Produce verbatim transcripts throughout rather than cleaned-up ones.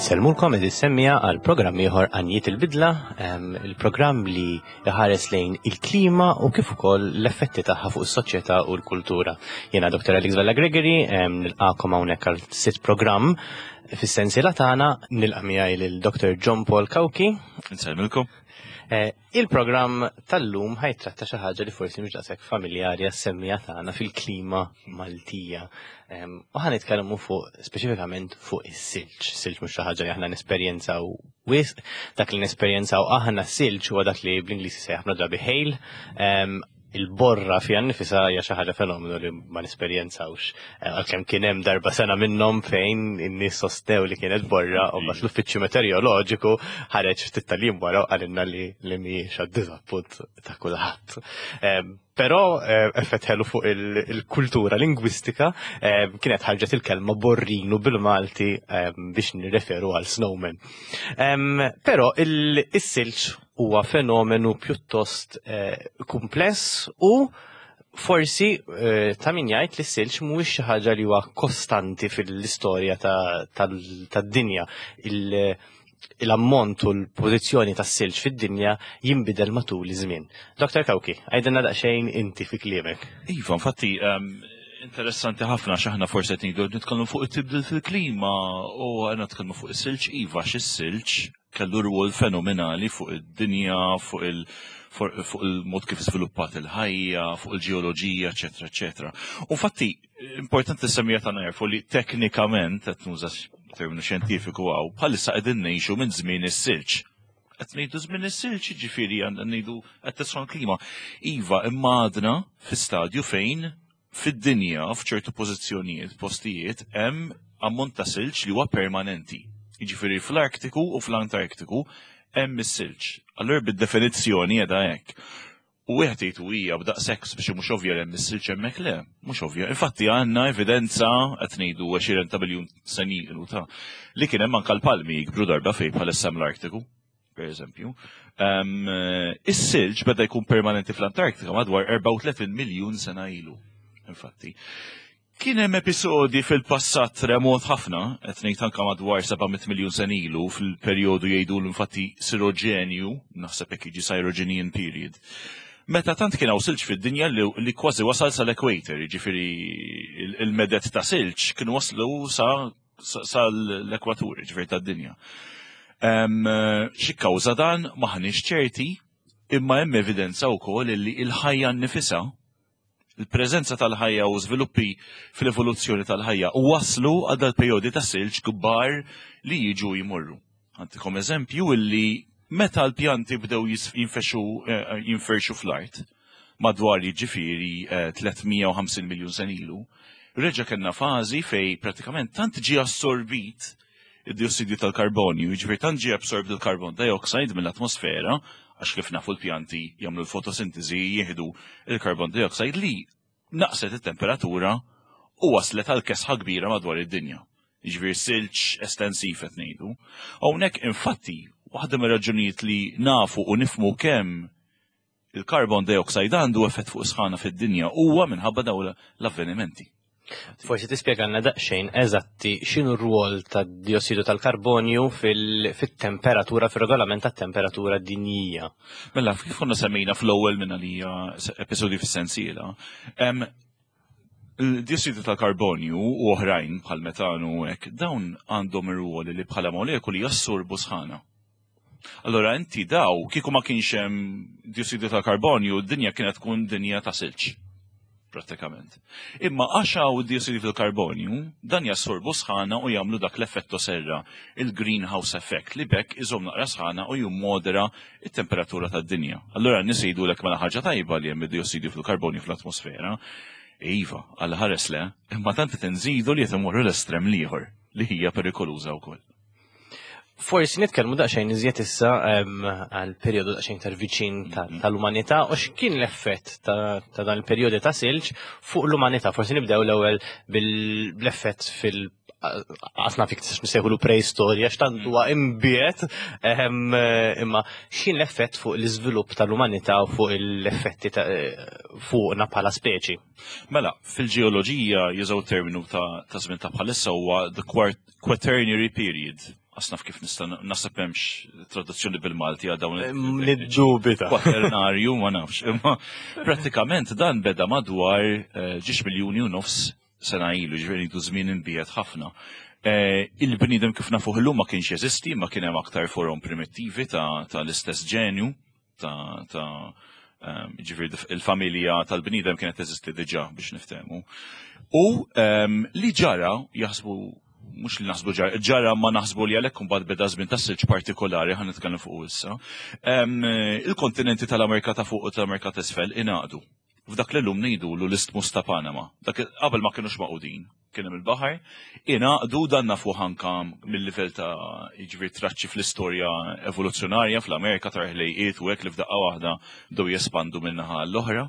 Insellmulkom, għeżież semmiegħa, għal programm ieħor Għanjiet il-Bidla, il-programm li jħares lejn il-klima u kif ukoll l-effetti tagħha fuq is-soċjetà u l-kultura. Jiena Doktor Alex Vella Gregory, nilqakom hawnhekk għal sitt programm fis-sensiela tagħna. Nilqa' miegħi lil Doktor John Paul Cauchi. Insellmilkom. Eh, il-programm tal-lum ħa jittratta xi ħaġa li forsi mhux daqshekk familjari għas-semmiegħa tagħna fil-klima Maltija. U ħa nitkellmu fuq speċifikament fuq is-silġ. Silġ mhux xi ħaġa li aħna nesperjenzaw wisq, dak li nesperjenzaw aħna silġ huwa dak li bl-Ingliż sejjaħ ħafna drabi hail. Il-borra fiha nnifisha hija xi ħaġa fenomenu li ma nesperjenzawx. Eh, għalkemm kien hemm darba sena minnhom fejn in-nies sostew li kienet borra u mbagħad l-uffiċċju meteoroloġiku ħareġ ftit tal-jiem wara u qalilna li li mhijiex, għad-diżappunt ta' kulħadd. Eh, però eh, effett ħelu fuq il-kultura lingwistika, kienet ħarġet il-kelma borrinu bil-Malti biex nirreferu għal snowman. Però il-silġ huwa fenomenu pjuttost kumpless u forsi ta' min jgħid li s-silġ mhuwiex xi ħaġa li huwa kostanti fil-istorja tad-dinja. L-ammont u l-pożizzjoni tas-silġ fid-dinja jinbidel matul iż-żmien. Doktor Cauchi, għidilna daqsxejn inti fi kliemek. Iva, infatti, interessanti ħafna x'aħna forsi qed ngħidu nitkellmu fuq it-tibdil fil-klima u għandna nitkellmu fuq is-silġ. Iva, x'is-silġ kellu rwol fenomenali fuq id-dinja, fuq il- fuq il-mod kif sviluppat il-ħajja, fuq il-ġeoloġija, eċetera, eċetera. U infatti, importanti s-semmiegħa tagħna jarfu li teknikament, qed nuża terminu xjentifiku hawn, bħalissa qegħdin ngħixu minn żmien is-silġ. Qed ngħidu żmien is-silġ, ġifieri għandna ngħidu qed tisħon klima. Iva, imma għadna fi stadju fejn fid-dinja f'ċertu pożizzjonijiet, postijiet, hemm ammont ta' silġ li huwa permanenti. Jiġifieri fl-Artiku u fl-Antarktiku hemm is-silġ. Allura bid-definizzjoni qiegħda hekk. U wieħed jgħid hija b'daqshekk biex mhux ovvja li hemm is-silġ hemmhekk, le, mhux ovvja. Infatti għandna evidenza, qed ngħidu għexieren ta' biljun sena ilu ta' li kien hemm anke l-palmi jikbru darba fejn bħalissa l-Artiku, per eżempju. Is-silġ beda jkun permanenti fl-Antarktika madwar erbgħa u tletin miljun sena ilu. Infatti. Kien hemm episodi fil-passat remot ħafna, qed ngħid anke madwar seba' mitt miljun sena ilu, fil-perjodu jgħidu l-infatti Sirogenju, naħseb hekk jiġi, Cyrogenian period. Meta tant kien hawn silġ fid-dinja li, li kważi wasal sal-equator, jiġifieri il-meded ta' silġ kienu waslu sa sal-ekwatur, jiġifieri tad-dinja. Xi kawża dan maħniex ċerti, imma hemm evidenza wkoll li l-ħajja nnifisha, il-preżenza tal-ħajja u żviluppi fl-evoluzzjoni tal-ħajja u waslu għal dal-perjodi ta' silġ kbar li jiġu jmorru. Ħa ntikom eżempju illi meta l-pjanti bdew jinfexxu eh, jinferxu fl-art madwar jiġifieri tliet mija u ħamsin miljun sena ilu, reġa' kellna fażi fej pratikament tant ġie assorbit id-diossidju tal-karbonju, jiġifieri tant ġie absorbit il-carbon dioxide mill-atmosfera, għax kif nafu l-pjanti jagħmlu l-fotosintesi, jieħdu il-carbon dioxide, li naqset it-temperatura u waslet għal kesħa kbira madwar id-dinja. Jiġifieri silġ estensiv qed ngħidu. Hawnhekk infatti waħda mir-raġunijiet li nafu u nifmu kemm il-carbon dioxide għandu effett fuq sħana fid-dinja huwa minħabba dawn l-avvenimenti. Forsi tispjegalna daqsxejn eżatti x'inhu r-rwol tad-diossidu tal-karbonju fil-temperatura, fil-regolament tat-temperatura dinjija. Mela, kif konna semmejna fl-ewwel minn għalija episodju fis-sensiela, il-diossidu tal-karbonju u oħrajn bħal metanu u hekk, dawn għandhom ir-rwol li bħala molekuli jassorbu sħana. Allora inti daw, kieku ma kienx hemm diossidu tal-karbonju, d-dinja kienet tkun dinja ta' silġ pratikament. Imma għax hawn diossidu tal-karbonju, dan jassorbu sħana u jagħmlu dak l-effetto serra, il-greenhouse effect, li b'hekk iżomm naqra sħana u jimmodera it-temperatura tad-dinja. Allora n-nies jgħidulek mela ħaġa tajba li hemm id-diossidu fil-karbonju fl-atmosfera. Iva, għal ħares le, imma tant tinżidu li qed imorru l-estrem l-ieħor li hija perikoluża wkoll. Forsi nitkellmu daqsxejn iżjed issa għal perjodu daqsxejn iktar viċin tal-umanità u x'kien l-effett ta' dan il-perjodi ta' silġ fuq l-umanità. Forsi nibdew l-ewwel bl-effett fil- għasna fik nsejħulu preistorja, x'tant huwa imbiet, imma x'kien l-effett fuq l-iżvilupp tal-umanità u fuq l-effetti fuqna bħala speċi? Mela, fil-ġeoloġija jużaw terminu ta' żmien ta' bħalissa huwa the Quaternary period. Asnaf kif nista' naħseb hemmx traduzzjoni bil-Malti għal dawn Niddubita. Kwaternarju, ma nafx. Imma prattikament dan beda madwar eh, ġiex miljuni u nofs sena ilu, ġifieri du żmien imbiegħed ħafna. Eh, Il-bniedem kif nafuh illum ma kienx jeżisti, ma kien hemm aktar forom primittivi ta' ta' l-istess ġenju, ta' ta' ehm, ġifieri il-familja tal-bniedem kienet teżisti diġà, biex niftehmu. U ehm, li ġara, jaħsbu, mhux li naħsbu ġara, ġara ma naħsbu li għalhekk imbagħad beda żmien ta' silġ partikolari ħa nitkellem fuq issa. Ehm, Il-kontinenti tal-Amerika ta' fuq u tal-Amerika ta' isfel ingħaqdu f'dak li llum ngħidulu l-Istmus ta' Panama. Dak qabel ma kienux magħqudin, kien hemm il-baħar, ingħaqdu. Dan nafu anka mill-livell ta' jiġifieri traċċi fl-istorja evoluzzjonarja fl-Amerika ta' ħlejqiet u hekk li f'daqqa waħda bdew jespandu min-naħa l-oħra.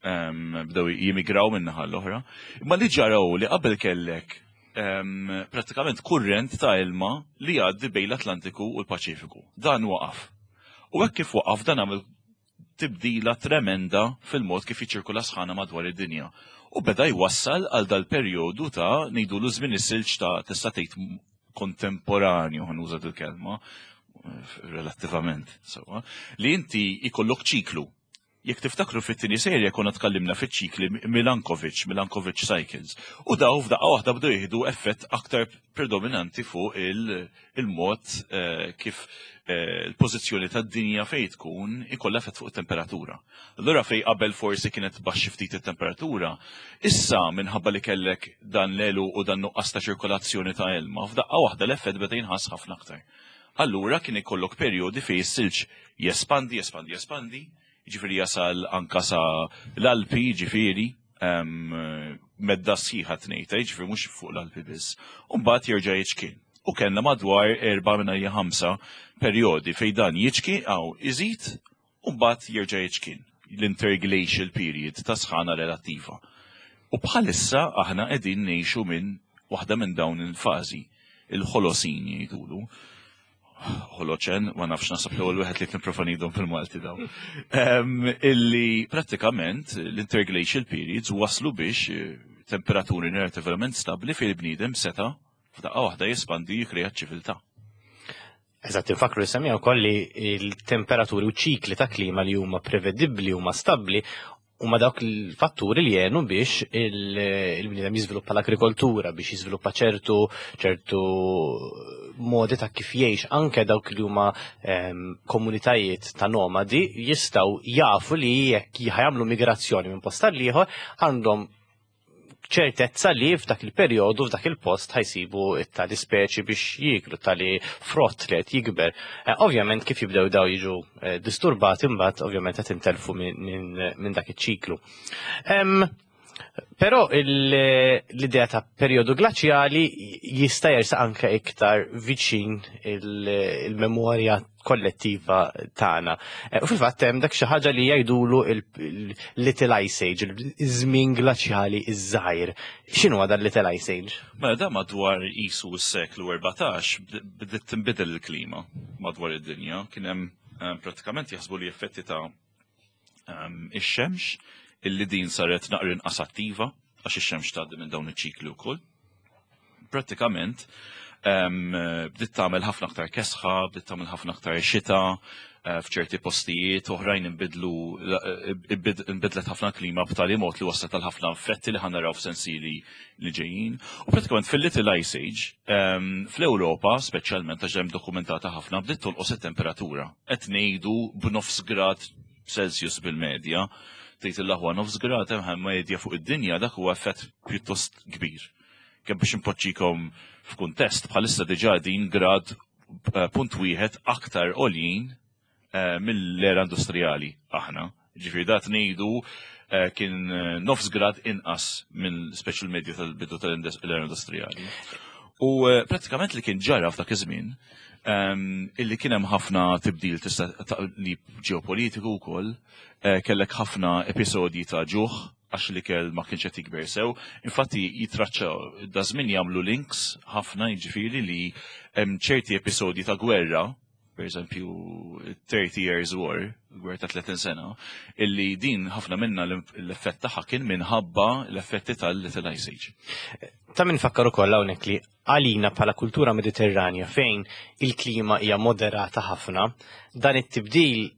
em, Bdew jimigraw min-naħa l-oħra. Imma li ġaraw li qabel kellek em, prattikament kurrent ta' ilma li jgħaddi bejn l-Atlantiku u l-Paċifiku. Dan waqaf. U hekk kif waqaf, dan għamel tibdila tremenda fil-mod kif jiċirkula sħana madwar id-dinja. U beda jwassal għal dal-perjodu ta' ngħidulu żmien is-silġ ta' tista' tgħid kontemporanju, ħa nuża il-kelma relattivament sewwa, li inti ikollok ċiklu. Jekk tiftakru, fit-tieni serje konna tkallimna fiċ-ċikli Milankovic, Milankovic Cycles. U daw f'daqqa waħda bdew jieħdu effett aktar predominanti fuq il-mod eh, kif eh, il-pożizzjoni tad-dinja fejn tkun ikollha effett fuq it-temperatura. Allura fej qabel forsi kienet baxxi ftit it-temperatura, issa minħabba li kellek dan l-elu u dan nuqqas ta' ċirkolazzjoni ta' ilma, f'daqqa waħda l-effett beda jinħass ħafna aktar. Allura kien ikollok perjodi fejn is-silġ jespandi, jespandi, jespandi, ġifieri jasal anka sa l-Alpi, ġifieri, medda sħiħa tnejta, ġifieri mhux fuq l-Alpi biss. U mbagħad jerġa' jiċkien. U kellna madwar erba' minn ħamsa perjodi fejn dan jiċki għaw iżid u mbagħad jerġa' jiċkien. L-interglacial period ta' sħana relattiva. U bħalissa aħna qegħdin ngħixu minn waħda minn dawn il-fażi, il-Ħolosin jgħidulu. Ħoloċen, ma nafx, nasab l-ewwel wieħed li nipprova ngħidhom fil-Malti dawn. Illi prattikament l-interglacial periods waslu biex eh, temperaturi relativament stabli fejn il-bniedem seta' f'daqqa waħda jespandi, jikreja ċiviltà. Eżatt, infakru semija wkoll li il-temperaturi u ċikli ta' klima li huma prevedibbli, huma stabbli, huma dawk il-fatturi li jenu biex il-bniedem jiżviluppa l-agrikoltura, biex jiżviluppa ċertu ċertu modi ta' kif jgħix. Anke dawk li huma ehm, komunitajiet ta' nomadi jistgħu jafu li jekk jagħmlu migrazzjoni minn post għal ieħor, għandhom ċertezza li f'dak il-perjodu, f'dak il-post ħa jsibu tali speċi biex jiklu, tali frott li qed jikber. Eh, ovvjament kif jibdew daw jiġu eh, disturbati, imbagħad ovvjament qed intelfu minn dak iċ-ċiklu. Però l-idea ta' perjodu glaċjali jista' jersaq anke iktar viċin il-memorja kollettiva tagħna. Eh, u fil-fatt hemm dak xi ħaġa li jgħidulu il-Little Ice Age, iż-żmien glaċjali iż-żgħir. X'inhu dan Little Ice Age? Mela da madwar isu s-seklu erbatax bdiet tinbidel il-klima madwar id-dinja. Kien hemm eh, pratikament jaħsbu li effetti ta' ehm, ix-xemx illi din saret naqra inqas attiva għax ix-xemx tgħaddi minn dawn iċ-ċikli wkoll. Prattikament em, bdiet tagħmel ħafna aktar kesħa, bdiet tagħmel ħafna aktar xita eh, f'ċerti postijiet, oħrajn inbidlu eh, inbidlet ħafna klima b'tali mod li waslet għal ħafna effetti li ħa naraw f'sensili li ġejjin. U prattikament fil-Little Ice Age, em, fl-Ewropa, speċjalment għax hemm dokumentata ħafna, bdiet tonqos it-temperatura. Qed ngħidu b'nofs grad Celsius bil-medja. Tgħid l-aħwa, nofs grad hemm medja fuq id-dinja, dak huwa effett pjuttost kbir. Kemm biex impoġġikom f'kuntest, bħalissa diġà din grad eh, punt wieħed aktar għoljin eh, mill-era industrijali aħna. Ġifieri dat ngħidu eh, kien nofs grad inqas minn special medja tal-bidu tal-era industrijali. U prattikament li kien ġara f'dak iż-żmien, ehm, illi kien hemm ħafna tibdil tista' ta' li ġeopolitiku wkoll, kellek ħafna episodji ta' ġuħ għax li kell ma kienx qed jikber sew. Infatti jitraċċaw da żmien, jagħmlu links ħafna, jiġifieri li hemm ċerti episodji ta' gwerra Per eżempju, thirty Years War, gwerra ta' tletin sena, illi din ħafna minna l-effett tagħha kien minħabba l-effetti tal-Little Ice Age. Ta' min fakkar ukoll hawnhekk li għalina bħala kultura Mediterranja, fejn il-klima hija moderata ħafna, dan it-tibdil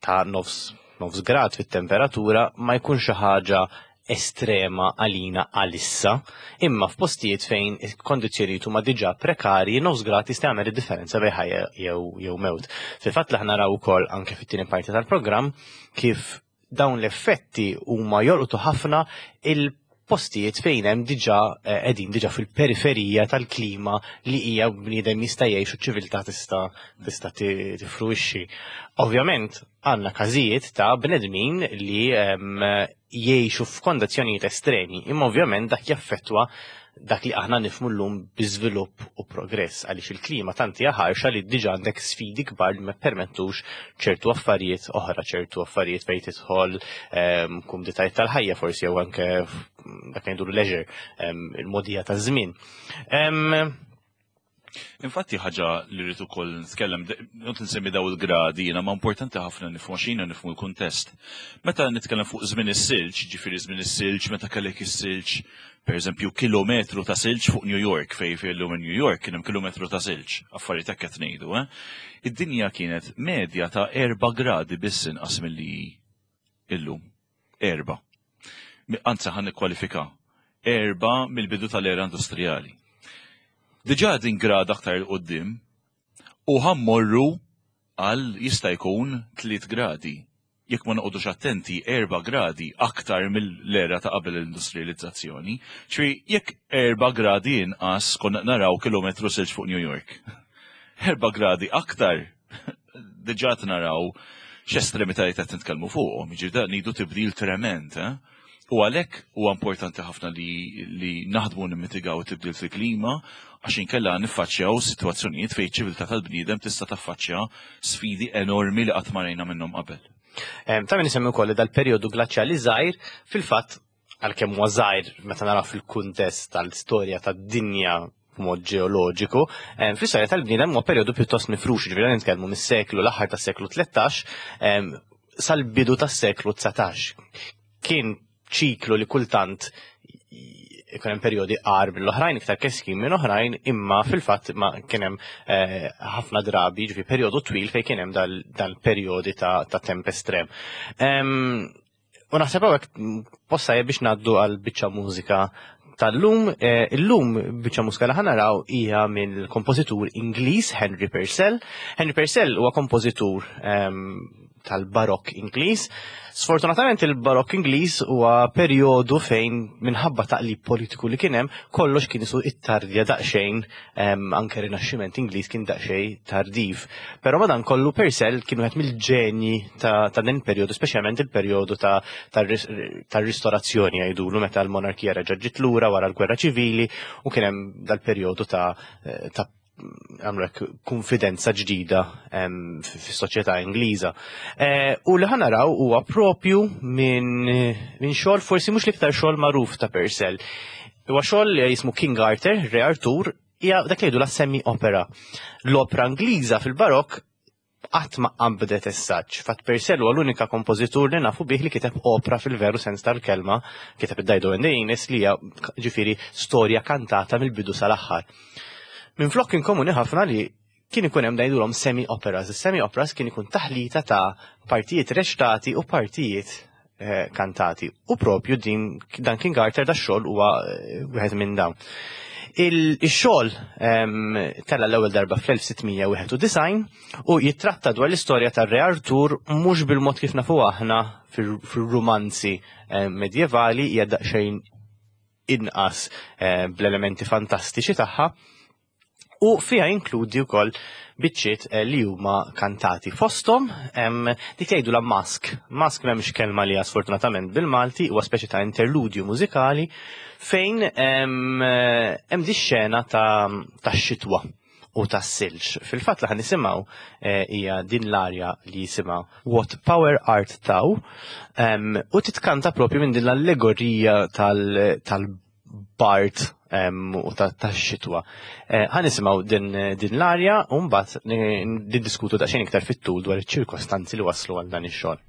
ta' nofs nofs grad fit-temperatura ma jkunx xi ħaġa estrema għalina għalissa, imma f'postijiet fejn il-kondizzjonijiet huma diġà prekarji, nofs grad jista' jagħmel id-differenza bejn ħajja jew jew mewt. Fil-fatt li naraw ukoll anke fit-tieni parti tal-programm kif dawn l-effetti huma jolqtu ħafna il-postijiet fejn hemm diġà eh, qegħdin diġà fil-periferija tal-klima li hija bniedem jista' jgħix u ċiviltà tista' tista' tifruixxi. Ovvjament għandna każijiet ta' bnedmin li em, jgħixu f'kondizzjonijiet estremi, imma ovvjament dak jaffettwa dak li aħna nifhmu llum bi żvilupp u progress, għaliex il-klima tant hija ħarxa li diġà għandek sfidi kbar li ma permettux ċertu affarijiet oħra, ċertu affarijiet fejn tidħol ehm, kumditajiet tal-ħajja forsi jew anke dak li ngħidu leisure, ehm, il-mogħdija taż-żmien. Ehm, Infatti ħaġa li rrid ukoll nitkellem, not nsemmi daw il-gradi, jiena ma importanti ħafna nifhmu xina nifhmu l-kuntest. Meta nitkellem fuq żmien is-silġ, ġifieri żmien is-silġ, meta kellek is-silġ, per eżempju, kilometru ta' silġ fuq New York, fej fej llum in New York kien hemm kilometru ta' silġ, affarijiet hekk qed ngħidu, eh? Id-dinja kienet medja ta' erba' gradi biss inqas milli illum. Erba'. Anzi, ħa nikkwalifika. Erba' mill-bidu tal-era industrijali. Diġà din grad aktar 'il quddiem u ħa mmorru għal jista' jkun tliet gradi. Jekk ma noqogħdux attenti, erba' gradi aktar mill-era ta' qabel l-industrializzazzjoni. Ċri jekk erba' gradi inqas konna naraw kilometru silġ fuq New York. Erba' gradi aktar, diġà naraw x'estremitajiet qed nitkellmu fuqhom. Jiġifieri da ngħidu tibdil trement, eh? U għalhekk huwa importanti ħafna li, li naħdmu nimmitigaw tibdil fil-klima, għax inkella niffaċċjaw sitwazzjonijiet fejn ċiviltà tal-bniedem tista' taffaċċja sfidi enormi li qatt ma rajna minnhom qabel. Em, Ta' min isemmi wkoll li dal-perjodu glaċjali żgħir, fil-fatt għalkemm huwa żgħir meta naraw fil-kuntest tal-istorja tad-dinja b'mod ġeoloġiku, em, fl-istorja tal-bniedem huwa perjodu pjuttost mifrux, ġifieri nitkellmu mis-seklu l-aħħar tas-seklu tlettax em, sal-bidu tas-seklu dsatax. Kien ċiklu li kultant ikun hemm perjodi agħar mill-oħrajn, iktar keskin minn oħrajn, imma fil-fatt ma kien hemm eh, ħafna drabi, ġifi perjodu twil fejn kien hemm dal-perjodi ta', ta' temp estrem. Em, U naħseb hawnhekk posta biex ngħaddu għal biċċa mużika tal-lum. Eh, illum biċċa mużika li ħa naraw hija mill-kompożitur Ingliż Henry Purcell. Henry Purcell huwa kompożitur em, tal-Barokk Ingliż. Sfortunatament il-Barokk Ingliż huwa perjodu fejn minħabba taqlib politiku li kien hemm, kollox kien isu ittardja daqsxejn, em, anke Rinaxximent Ingliż kien daqsxejn tardiv. Però madankollu Purcell kien wieħed mill-ġenji ta', ta' din perjodu, speċjalment il-perjodu ta' tar-ristorazzjoni jgħidulu, meta l-monarkija reġa' ġiet lura wara l-gwerra ċivili u kien hemm dal-perjodu ta' ta' għamlu hekk konfidenza ġdida em, fis-soċjetà Ingliża. Eh, U li ħa naraw huwa propju minn min xogħol forsi mhux l-iktar xogħol magħruf ta' Purcell. Huwa xogħol li jismu King Arthur, Re Artur, hija dak li jgħidu la semi opera. L-opera Ingliża fil-Barokk qatt ma qabdet essaġġ. Fatt Purcell huwa l-unika kompożitur li nafu bih li kiteb opera fil-veru sens tal-kelma, kiteb id-Dido and the Aeneas, li hija ġifieri storja kantata mill-bidu sal-aħħar. Minflok kien komuni ħafna li kien ikun hemm ngħidulhom semi operas. Is-semi operas kien ikun taħlita ta' partijiet reċtati u partijiet eh, kantati. U propju din dan King Arthur, da xogħol huwa eh, wieħed minn dawn. Il-xogħol em, tella l-ewwel darba fl-elf sitt mija wieħed u disgħin u jittratta dwar l-istorja tar-Re Artur mhux bil-mod kif nafu aħna fil-rumanzi medjevali, hija daqsxejn inqas eh, bl-elementi fantastiċi tagħha u fiha inkludi wkoll biċċiet eh, li huma kantati. Fosthom em, dik jgħidu la masque. Masque m'hemmx kelma li sfortunatament bil-Malti, huwa speċi ta' interludju mużikali fejn em, eh, hemm di xena ta' ta' xitwa u ta' silġ. Fil-fatt li ħa nisimgħu eh, hija din l-arja li jisimha "What Power Art Thou" em, u titkanta propju minn din l-allegorija tal- tal tal-bard u tax-xitwa. Ħa nisimgħu din din l-arja u mbagħad niddiskutu daqsxejn iktar fit-tul dwar iċ-ċirkostanzi li waslu għal dan ix-xogħol.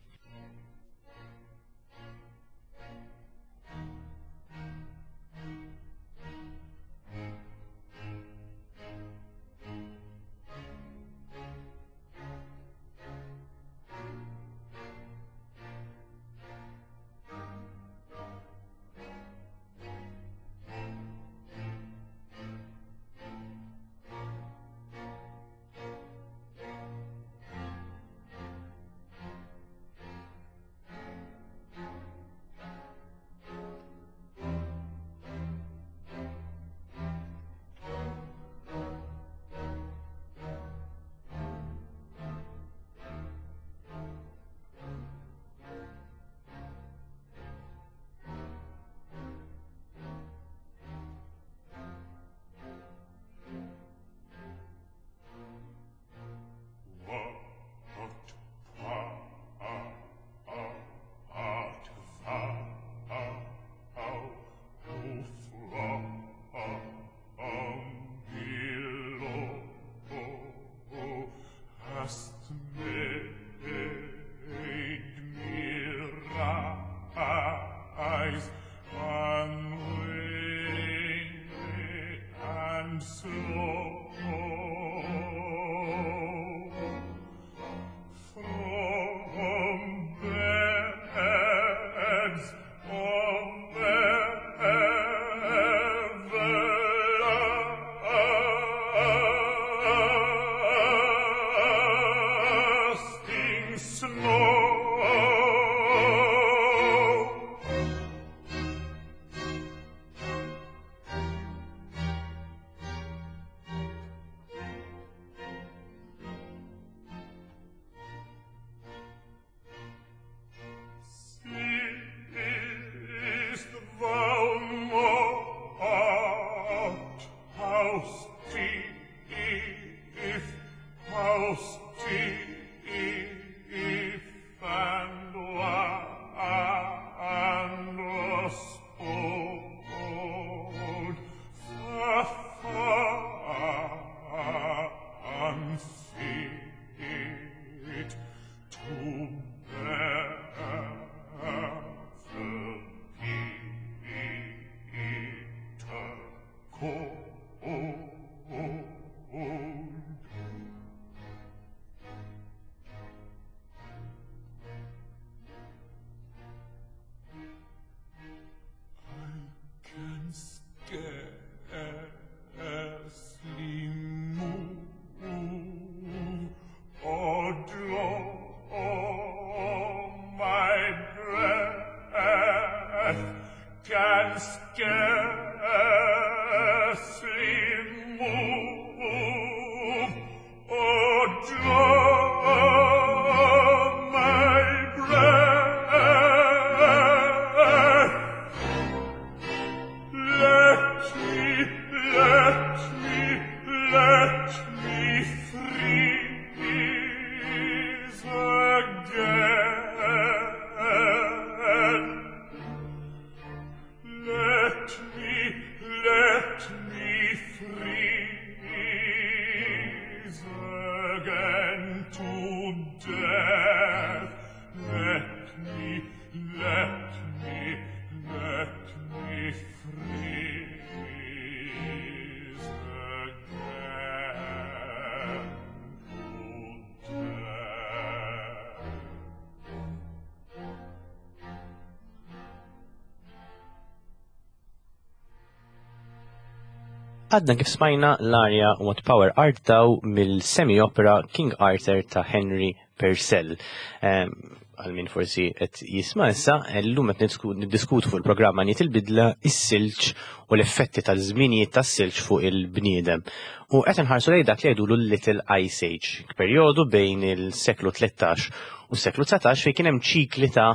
Għadna kif smajna l-arja What Power Art Thou mill-semi-opera King Arthur ta' Henry Purcell. Għal min forsi qed jisma' issa, llum qed niddiskutu fuq il-programma Niet il-Bidla, is-silġ u l-effetti tal-żminijiet tas-silġ fuq il-bniedem. U qed inħarsu lejn dak li jgħidulu l-Little Ice Age, perjodu bejn il-seklu tlettax u s-seklu dsatax fejn kien hemm ċikli ta'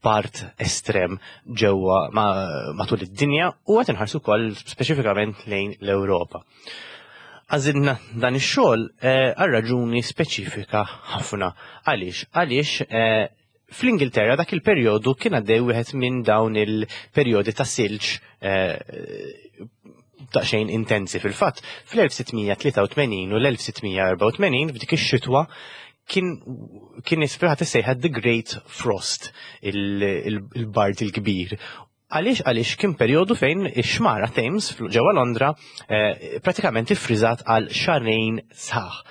part estrem ġewwa matul id-dinja u qed inħarsu wkoll speċifikament lejn l-Ewropa. Għażilna dan ix-xogħol għal raġuni speċifika ħafna. Għaliex? Għaliex Fl-Ingilterra dak il-perjodu kien għaddej wieħed minn dawn il-perjodi ta' silġ eh, daqsxejn intensi. Fil-fatt, fl-elf sitt mija tlieta u tmenin u l-elf sitt mija erbgħa u tmenin, f'dik ix-xitwa, kien kien isfirħat issejħa The Great Frost, il-bard il-kbir. Għaliex għaliex kien perjodu fejn ix-xmara Thames ġewwa Londra eh, pratikament iffriżat għal xahrejn sħaħ.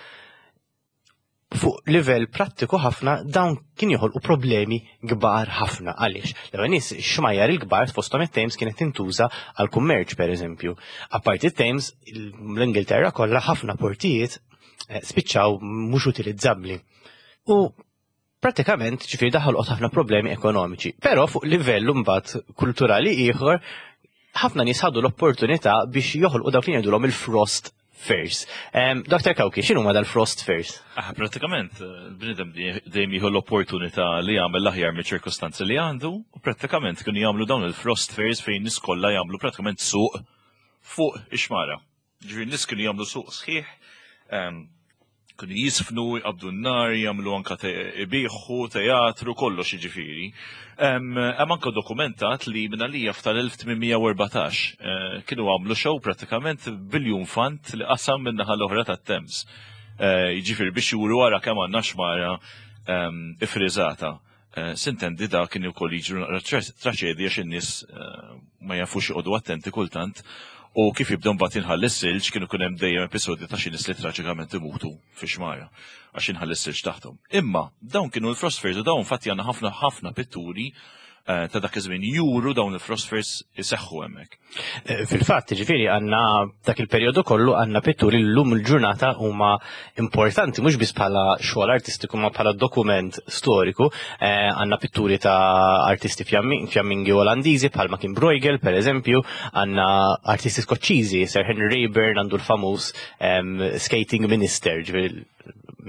Fuq livell prattiku ħafna, dawn kien joħolqu problemi kbar ħafna. Għaliex? L-ewwel nies, xmajjar il-kbar, fosthom it-Thames, kienet tintuża għal kummerċ, pereżempju. Apparti it-Thames, l-Ingilterra kollha, ħafna portijiet eh, spiċċaw mhux utilizzabbli. U pratikament, ġifieri, daħal ħafna problemi ekonomiċi. Però fuq livell mbagħad kulturali ieħor, ħafna nies ħadu l-opportunità biex joħolqu dawk li jgħidulhom il-Frost Fairs. Um, Doktor Kawki, x'inhu ma dal-Frost Fairs? Ah, pratikament, il-bniedem dejjem jieħu l-opportunità li jagħmel l-aħjar miċ-ċirkostanzi li għandu, u pratikament kienu jagħmlu dawn il-Frost Fairs fejn nies kollha jagħmlu pratikament suq fuq ix-xmara. Ġifieri nies kienu jagħmlu suq sħiħ, em, kienu jisfnu, jqabdu n-nar, jagħmlu anka te- ibiħu, teatru, kollox jiġifieri. Hemm anka dokumentat li minn għalija f'tal-elf tmien mija u erbatax eh, kienu għamlu show pratikament bil-iljunfant li qasam minn naħa l-oħra tat-Thames. Eh, Jiġifieri biex juru wara kemm għandna xmara em, ifriżata. Eh, Sintendi da kien ukoll jiġru naqra traċedja għax in-nies eh, ma jafux joqogħdu attenti kultant u kif jibdew mbagħad jinħall is-silġ, kienu kun hemm dejjem episodji ta' xi nies li traġikament imutu fi xmara għax inħall is-silġ taħthom. Imma dawn kienu l-Frost Fairs u dawn fatti għandna ħafna ħafna pitturi eh, ta' dak iż-żmien juru dawn il-Frost Fairs iseħħu hemmhekk. Eh, Fil-fatt, ġifieri, għandna dak il-perjodu kollu għandna pitturi li llum il-ġurnata huma importanti mhux biss bħala xogħol artistiku ma bħala dokument storiku. Eh, Għandna pitturi ta' artisti fjammi- fjammingi Olandiżi bħalma kien Bruegel, per eżempju, għandna artisti Skoċċiżi, Sir Henry Raeburn għandu l-famuż em, Skating Minister, ġifieri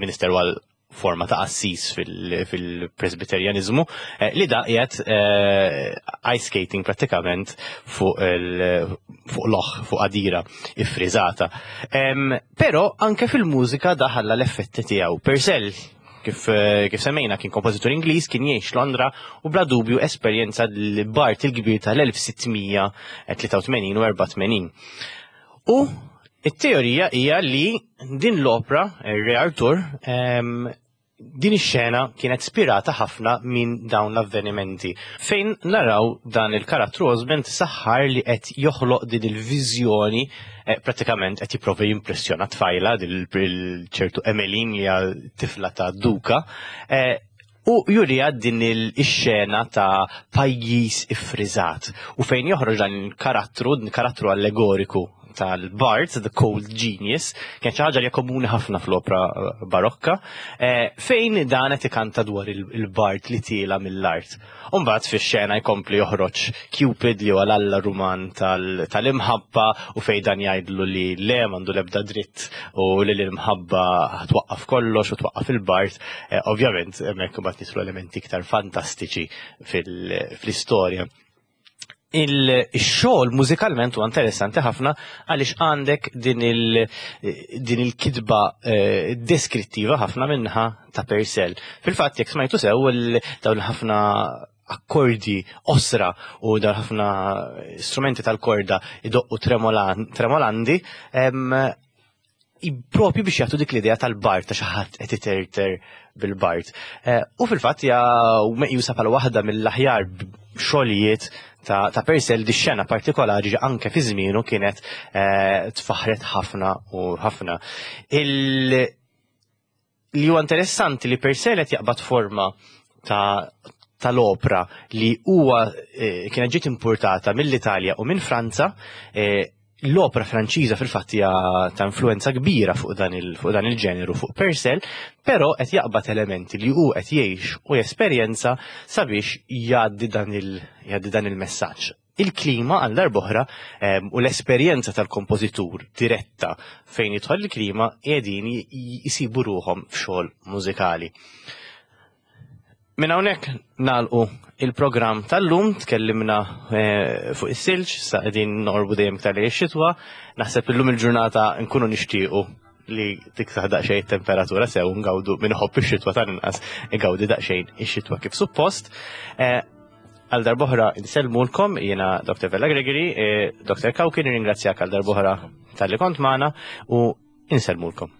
minister għal forma ta' assis fil-Presbyterianizmu, eh, li da qiegħed eh, ice skating pratikament fuq il- fuq loch, fuq għadira iffriżata. Em, Però anke fil-mużika daħalla l-effetti tiegħu. Purcell, kif, eh, kif semmejna, kien kompożitur Ingliż, kien jgħix Londra u bla dubju esperjenza l-bard il-kbir tal-elf sitt mija tlieta u tmenin u erbgħa u tmenin. U it-teorija hija li din l-opra, Re Arthur, em, din ix-xena kienet spirata ħafna minn dawn l-avvenimenti. Fejn naraw dan il-karattru Osmond saħħar li qed joħloq din il-viżjoni, eh, pratikament qed jipprova jimpressjona tfajla, din il-ċertu Emmeline li hija tifla ta' duka, eh, u jurija din il-xena ta' pajjiż iffriżat. U fejn joħroġ dan il-karattru, din karattru allegoriku tal-Bard, The Cold Genius, kien xi ħaġa li hija komuni ħafna fl-opra eh, barokka, eh, fejn dan qed ikanta dwar il- il-Bard li tiela mill-art. Umbagħad fix-xena jkompli joħroġ Cupid, li huwa l-alla Ruman tal- tal-imħabba u fejn dan jgħidlu li le, m'għandu l-ebda dritt u li l-imħabba twaqqaf kollox u twaqqaf il-Bard. Eh, Ovvjament hemmhekk imbagħad nislu elementi iktar fantastiċi fil- fl-istorja. Il-xogħol mużikalment huwa interessanti ħafna għaliex għandek din il din il-kitba eh, deskrittiva ħafna minnaħa ta' Purcell. Fil-fatt, jekk smajtu sew, il- dawn ħafna akkordi osra u dawn ħafna strumenti tal-korda idoqqu tremolan, tremolandi em, i- propju biex jagħtu dik l-idea tal-bard, ta' xi ħadd qed iterter bil-bard. Eh, U fil-fatt hija meqjusa bħala waħda mill-aħjar xogħlijiet ta', ta' Purcell. Di xena partikolari anke fi żmienu kienet eh, tfaħret ħafna u ħafna. Il, li huwa interessanti li Purcell qed jaqbad forma ta' tal-opra li huwa eh, kienet ġiet importata mill-Italja u minn Franza. eh, l-opra Franċiża fil-fatt hija ta' influenza kbira fuq dan il fuq dan il-ġeneru, fuq Purcell, però qed jaqbad elementi li hu qed jgħix u jesperjenza sabiex jgħaddi dan il jgħaddi dan il-messaġġ. Il-klima għal darb'oħra em, u l-esperjenza tal-kompożitur diretta fejn jidħol il-klima qegħdin jisibu ruħhom f'xogħol mużikali. Minn hawnhekk nagħlqu il-programm tal-lum, tkellimna eh, fuq is-silġ, sa qegħdin noqorbu dejjem iktar lejn ix-xitwa. Naħseb illum il-ġurnata nkunu nixtiequ li tiksaħ daqsxejn temperatura sew ngawdu min iħobb ix-xitwa, tal-inqas igawdi daqsxejn ix-xitwa kif suppost. Eh, Għal darb'oħra insellmulkom, jiena Doctor Vella Gregory, eh, Doctor Cauchi, nirringrazzjak għal darb'oħra talli kont magħna u insellmulkom.